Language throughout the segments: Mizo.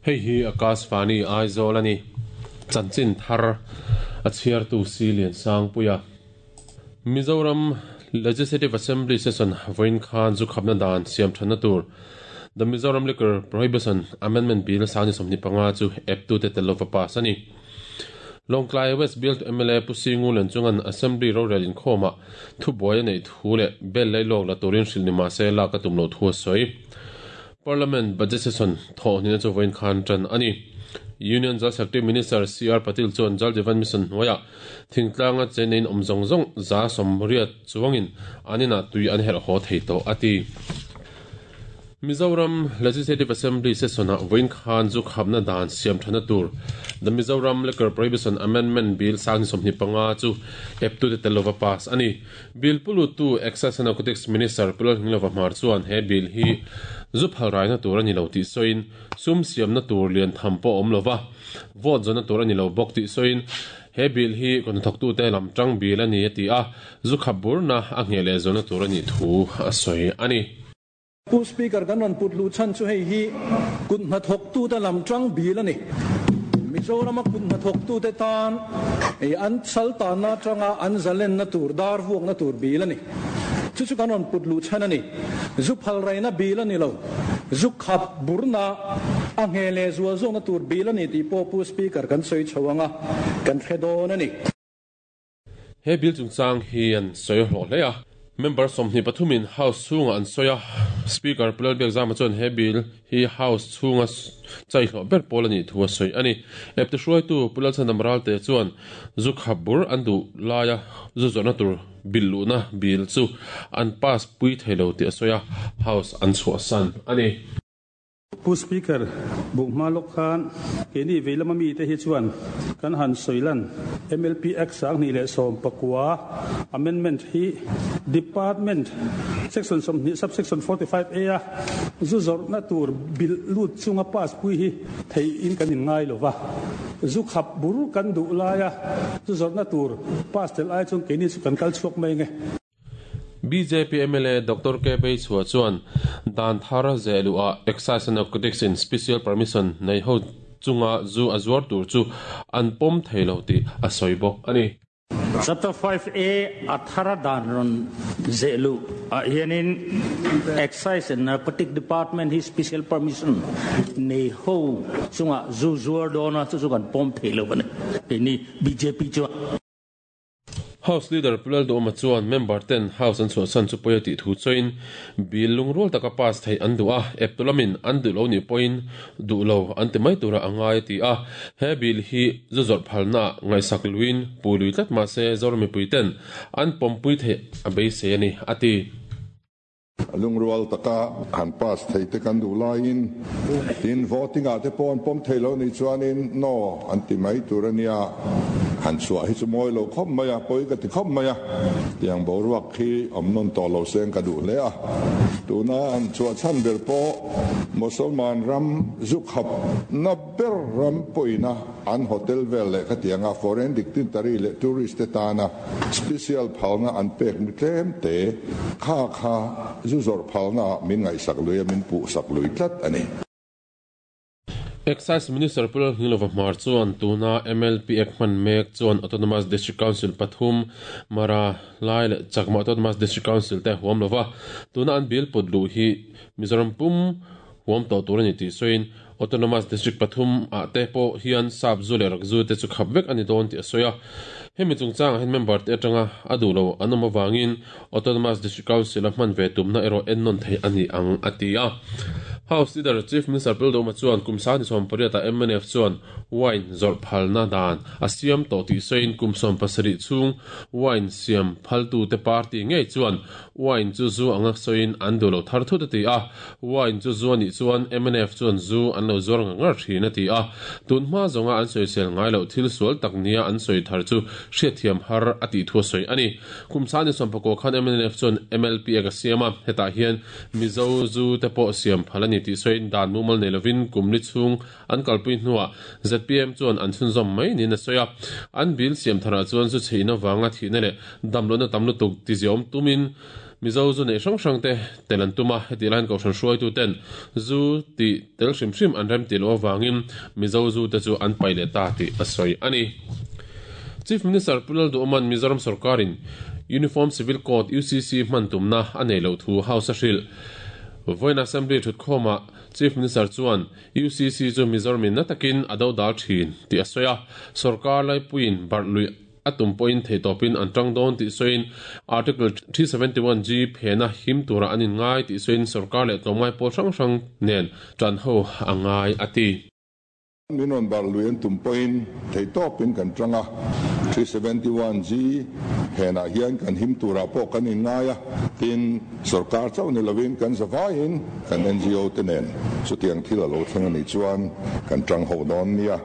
Hei hi Akashvani Aizawl a ni. Chanchin thar a chhiartu Si Liansangpuia. Mizoram Legislative Assembly Session vawiin khan zu khapna dan siam thatna tur The Mizoram Liquor Prohibition Amendment Bill 2025 chu eptute tel lova pass a ni. Lawngtlai West Bialtu mla Pu Singu Lenchunga'n Assembly rorel inkhawmah thubuai a neih thu leh bel lailawk la turin hrilh ni mahse lak a tum loh thu a sawi. Parliament Budget Session thawh hnihna chu vawiin khan tan a ni. Union Jal Shakti Minister CR Patil chuan Jal Jeevan Mission hnuaiah thingtlanga cheneiin awm zawng zawng 180 chuangin an inah tui an herh haw thei tawh a ti. Mizoram Legislative Assembly Session-ah vawiin khan zu khapna dan siam thana tur The Mizoram Liquor Prohibition Amendment Bill 2025 chu eptute tel lova pass a ni. Bill pu luttu Excise and Narcotics Minister Pu Lalhminglova Hmar chuan he bill hi zu phal raina tur a ni lo tih sawiin sum siamna tur lian tham pawh a awm lova, vote zawnna tur a ni lo bawk tih sawiin he bill hi kawhnathawktute lam tang bill a ni a ti a, zu khap burna a ngheh leh zawnna tur a nih thu a sawi a ni. Pu Speaker, kan rawn put luh chhan chu hei hi kut hnathawktute lam tang bil a ni. Mizorama kut hnathawktute tan an sal tanna atanga an zalenna tur, dar vuakna tur bil a ni. Chu chu kan rawn put luh chhan a ni. Zu phal raina bil a ni lo. Zu khap burna a ngheh leh zual zawkna tur bil a ni tih pawh Pu Speaker kan sawi chho ang a, kan hre dawn a ni. He bill chungchang hi an sawi hlawh hle a, member 23 in House chhungah an sawi a, Speaker Pu Lalbiakzama chuan he bill hi House chhunga chai hlawh ber pawl a nih thu a sawi a ni. Eptu hruaitu Pu Lalchhandam Ralte chuan zu khap bur an duh laia zu zawrhna tur bill luhna bill chu an pass pui thei lo tih a sawi a, House an chhuahsan a ni. Pu Speaker, buk hma lawk khan keini veilama mite hi chuan kan han sawi lan MLP Act 2019 Amendment hi Department Section 20 Sub-Section 45A a zu zawrhna tur bilh lut chunga pass pui hi theihin kan inngai lo va. Zu khap bur kan duh laia zu zawrhna tur pass tel ai chuan keini chu kan kal chhuak mai nge. Bjp mla Doctor K Beichhua chuan dan thar zeh luhah Excise and Narcotics in Special Permission nei ho chunga zu a zuar tur chu an pawm thei lo tih a sawi bawk a ni. Chapter 5A a thara dan rawn zeh luh ah hianin Excise and Narcotic Department hi Special Permission nei ho chunga zu zuar dawna chu chu kan pawm thei lo a ni, keini bjp chuan. House Leader Pu Lalduhawma chuan member ten House an chhuahsan chu pawi a tih thu chawiin bill lungrul taka pass theih an duh a, eptu lamin an duh lo nih pawhin duh lo an ti mai tura a ngai a ti a. He bill hi zu zawrh phalnaah ngaihsak luiin pui lui tlat mah se Zoram mipui ten an pawmpui theih a beisei a ni, a ti. Lungrual taka han pass thei te kan duh laiin tin voting ah te pawh an pawm thei lo nih chuanin no an ti mai tur a nia, han chhuah hi chu mawi lo khawp mai a, pawi ka ti khawp mai a, tiang boruak khi awm nawn tawh lo seng ka duh hle a, tuna han chhuah chhan ber pawh Mosolman ram zu khap na ber ram pawina an hotel vel leh khatianga foreign dignitary leh tourist te tana special phalna an pek mi tlem te kha kha zu zawrh phalna ah min ngaihsak lui a, min puhsak lui tlat a ni. Excise Minister Pu Lalhnilova Hmar chuan tuna MLP Act hman mek chuan Autonomous District Council pathum, Mara, Lai leh Chakma Autonomous District Council te a huam lova, tuna an bill put luh hi Mizoram pum huam tawh tur a ni tih sawiin Autonomous District pathum ah te pawh hian sap zu leh rak zu te chu khap vek a ni dawn tih a sawi a. Hemi chungchangah hian member te atanga a duh lo an awm avangin Autonomous District Council a hman ve tumna erawh ennawn theih a ni ang a ti a. House Leader Chief Minister Pu Lalduhoma chuan kum 2018 ah mnf chuan wine zawrh phalna dan a siam tawh tih sawiin kum 17 chhung wine siam phaltute party ngei chuan wine chu zu anga sawiin an duh lo thar thut a ti a. Wine chu zu a nih chuan mnf chuan zu an lo zuar ngar ngar thin a ti a, tun hma zawnga an sawisel ngai loh thil sual tak nia an sawi thar chu hriatthiam har a tih thu a sawi a ni. Kum 2019 khan mnf chuan MLP a ka siam a, hetah hian Mizo zu te pawh siam phal a ni. ni tih sawiin dan mumal nei lovin kum li chhung an kalpui hnuah zpm chuan an chhunzawm mai niin a sawi a. An bill siam tharah chuan zu chhe in avanga thihna leh damlohna tam lutuk tiziawm tumin Mizo zu neih hrang hrang te tel an tum a, hetih laiin Kohhran hruaitu ten zu tih tel hrim hrim an rem tih loh avangin Mizo zu te chu an paih leh ta tih a sawi a ni. Chief Minister Pu Lalduhawma'n Mizoram sorkarin Uniform Civil Code, UCC, hman tumna a nei loh thu House a hrilh. Vawiin Assembly thutkhawmah Chief Minister chuan UCC chu Mizoramin na takin a dodal thin tih a sawi a, sorkar laipuiin barh luih a tum pawhin theihtawpin an tang dawn tih sawiin Article 371G phena him tura an inngai tih sawiin sorkar leh tlawmngai pawl hrang hrang nen tan ho a ngai a ti. Min rawn barh lui an tum pawhin theihtawpin kan tang a, 371G phenah hian kan him turah pawh kan inngai a, tin sorkar chauh ni lovin kan zavaiin kan NGO te nen chutiang thil a lo thleng a nih chuan kan tang ho dawn nia.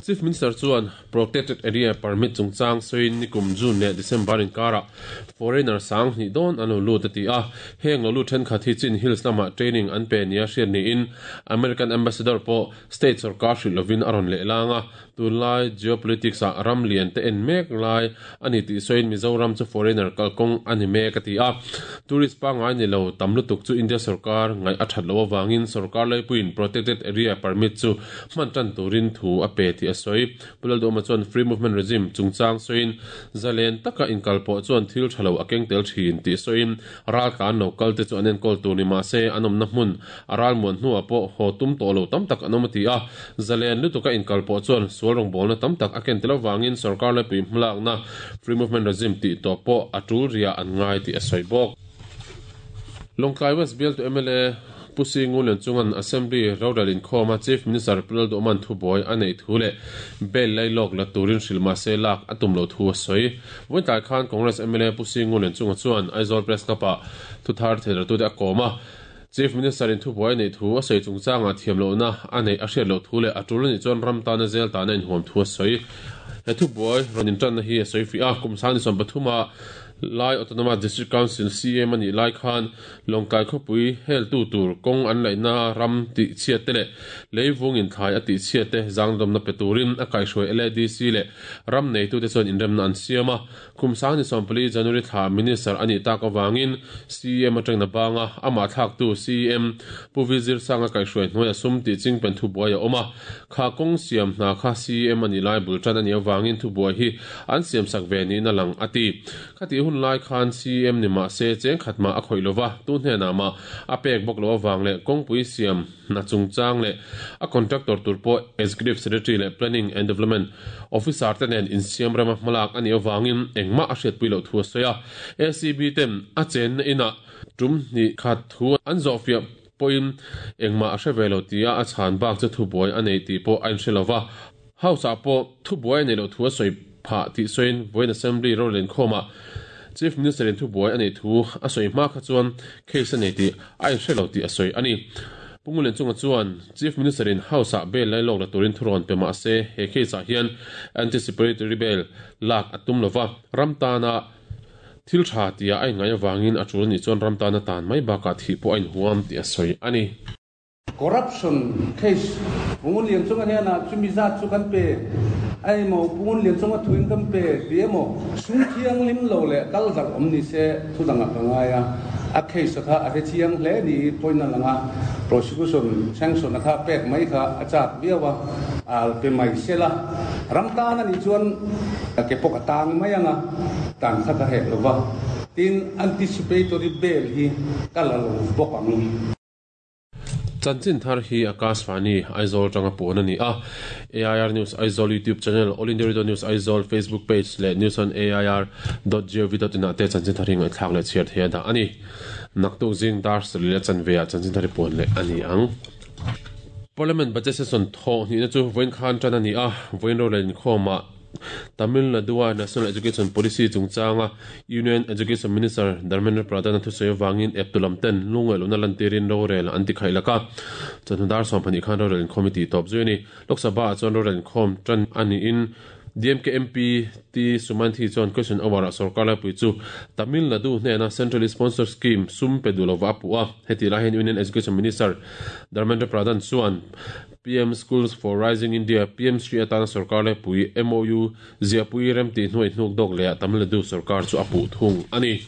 Chief Minister chuan Protected Area Permit chungchang sawiin nikum June leh December inkarah foreigner 2000 dawn an lo lut a ti a. Heng lo lut thenkhat hi Chin Hills lamah training an pe nia hriat niin American Ambassador pawh state sorkar hrilh lovin a rawn leh lang a. Tunlai geopolitics ah ram lian te en mek lai a ni tih sawiin Mizoram chu foreigner kalkawng a ni mek a ti a. Tourist pangngai ni lo tam lutuk chu India sorkar ngaih a that loh avangin sorkar laipuiin Protected Area Permit chu hman tan turin thu a pe tih a sawi. Pu Lalduhawma chuan Free Movement Regime chungchang sawiin zalen taka inkalpawh chuan thil tha lo a keng tel thin tih sawiin ral tlan lo kal te chu an enkawl tur ni mahse an awmna hmun a ral muan hnuah pawh haw tum tawh lo tam tak an awm a ti a. Zalen lutuka inkalpawh chuan sual rawngbawlna tam tak a ken tel avangin sorkar laipui hmalakna Free Movement Regime tih tawh pawh a tul riah an ngai tih a sawi bawk. Lawngtlai West bialtu mla Pu Si Ngulian chungan Assembly rorel inkhawma Chief Minister Pu Lalduhman thubuai a neih thu leh bail lai lawk la turin hrilh mahse lak a tum loh thu a sawi. Vawiin khan Congress mla Pu Si Ngulian chunga chuan Aizawl Press Club-ah thuthar theilertute a kawm a. Chief Minister in thubuai a neih thu a sawi chungchangah thiam lohna a neih a hriat loh thu leh a tul a nih chuan ram tana zel tana inhuam thu a sawi. He thubuai rawn intanna hi a sawi fih a, kum 2023 ah Lai Autonomous District Council CM a nih lai khan Lawngtlai khawpui heltu tur kawng an laihna ram tih chhiat te leh leivung inthlai a tih chhiat te zangdawmna pe turin a kaihhruai LADC leh ram neitute chuan inremna an siam a. Kum 2024 January thla Minister a nih tak avangin CEM atangin a bang a, amah thlaktu CEM Pu Vizir Sanga kaihhruai hnuaia sum tih chingpen thubuai a awm a. Kha kawng siam hna kha CEM a nih lai bul tan a nih avangin thubuai hi an siamsak ve niin a lang, a ti. Khatih hun lai khan CEM ni mah se cheng khat mah a khawih lova, tu hnenah mah a pek bawk loh avang leh kawngpui siam hna chungchang leh a contractor tur pawh Executive Secretary leh Planning and Development Officer te nen insiam rema hmalak a nih avangin engmah a hriatpui loh thu a sawi a. ACB ten a chenna inah tum hnih khat thu an zawhfiah pawhin engmah a hre ve lo tia a chhan bak chu thubuai a nei tih pawh a inhre lova. House-ah pawh thubuai a neih loh thu a sawi phah tih sawiin vawiin Assembly rorel inkhawmah Chief Minister-in thubuai a neih thu a sawi hma kha chuan case a nei tih a inhre lo tih a sawi a ni. Pu Ngulianchunga chuan Chief Minister-in House-ah bail lai lawk la turin thurawn pe mah se he case-ah hian anticipatory bail lak a tum lova, ram tana thil tha tia a inngaih avangin a tul anih chuan ram tana tan mai bakah thih pawh a inhuam tih a sawi a ni. Corruption case Pungun Lianchunga hnenah chumi zat chu kan pe a emaw, Pungun Lianchunga thuin kan pe ti emaw, sum thianghlim lo leh kal darh awm ni se thu dangah ka ngai a, a case kha a hre chiang hle ni pawhin a lang a, prosecution sanction a kha pek mai kha a chak viau a, al pe mai sela, ram tan a nih chuan ke pawh ka tang mai ang a, tan kha ka hek lo va, tin anticipatory bail hi ka la lo bawk ang. Chanchin thar hi Akashvani Aizawl atanga puan a ni a. AIR News Aizawl YouTube channel, All India Radio News Aizawl Facebook page leh news on air dot gov dot in ah te chanchin thar hi ngaihthlak leh chhiar thei a dah a ni. Naktuk zing dar sarih leh chanve ah chanchin thar hi puan leh a ni ang. Parliament Budget Session thawh hnihna chu vawiin khan tan a ni a, vawiin rorel inkhawmah Tamil Nadu-a National Education Policy chungchanga Union Education Minister Dharmendra Pradhan-a thusawi avangin eptu lam ten lungngaihlohna lantirin rorel an ti khaih lak a. Chawhnu dar 12 khan rorel inkhawm hi tih tawp zui a ni. Lok Sabha-ah chuan rorel inkhawm tan a niin. DMK MP T Sumanthi chuan question hour ah sorkar laipui chu Tamil Nadu hnena Centrally Sponsored Scheme sum pe duh lova a puh a. Heti lai hian Union Education Minister Dharmendra Pradhan chuan PM Schools for Rising India, PM Shri, atana sorkar laipui MOU ziahpui remtih hnuai hnuk dawk lehah Tamil Nadu sorkar chu a puh thung a ni.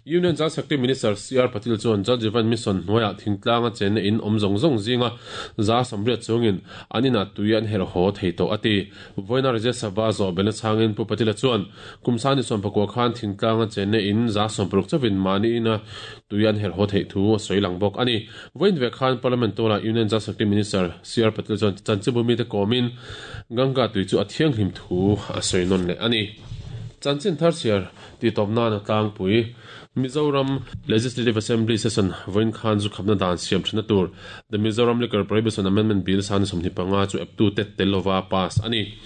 Union Jal Shakti Minister CR Patil chuan Jal Jeevan Mission hnuaiah thingtlanga chenna in awm zawng zawng zinga 180 chungin an inah tui an herh haw thei tawh a ti. Vawiina Rajya Sabha zawh belna chhangin Pu Patila chuan kum sani 14 khan thingtlanga chenna in 60 chauhin mahni ina tui an herh haw theih thu a sawi lang bawk a ni. Vawiin ve khan Parliament tualah Union Jal Shakti Minister CR Patil chuan chanchinbu mite kawmin Ganga tui chu a thianghlim thu a sawi nawn leh a ni. Chanchin thar chhiar Tihtawp nana tlangpui Mizoram Legislative Assembly Session vawiin khan zu khapna dan siam thina tur The Mizoram Liquor Prohibition Amendment Bill sani 25 chu eptu tet tel lova pass a ni.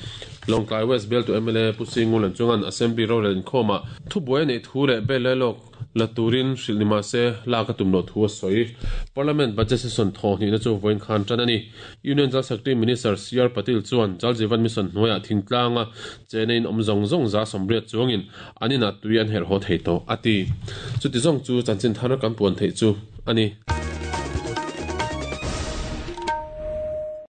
Lawngtlai West bialtu mla Pu Singulan chungan Assembly rorel inkhawmah thubuai a neih thu leh bel lailawk la turin hrilh ni mah se lak a tum loh thu a sawi. Parliament Budget Session thaw hnihna chu vawiin khan tan a ni. Union Jal Shakti Minister CR Patil chuan Jal Jeevan Mission hnuaiah thingtlanga chena in awm zawng zawng 80 chuangin an inah tui an herh haw thei tawh a ti. Chuti zawng chu chanchin thar kan puan theih chu a ni.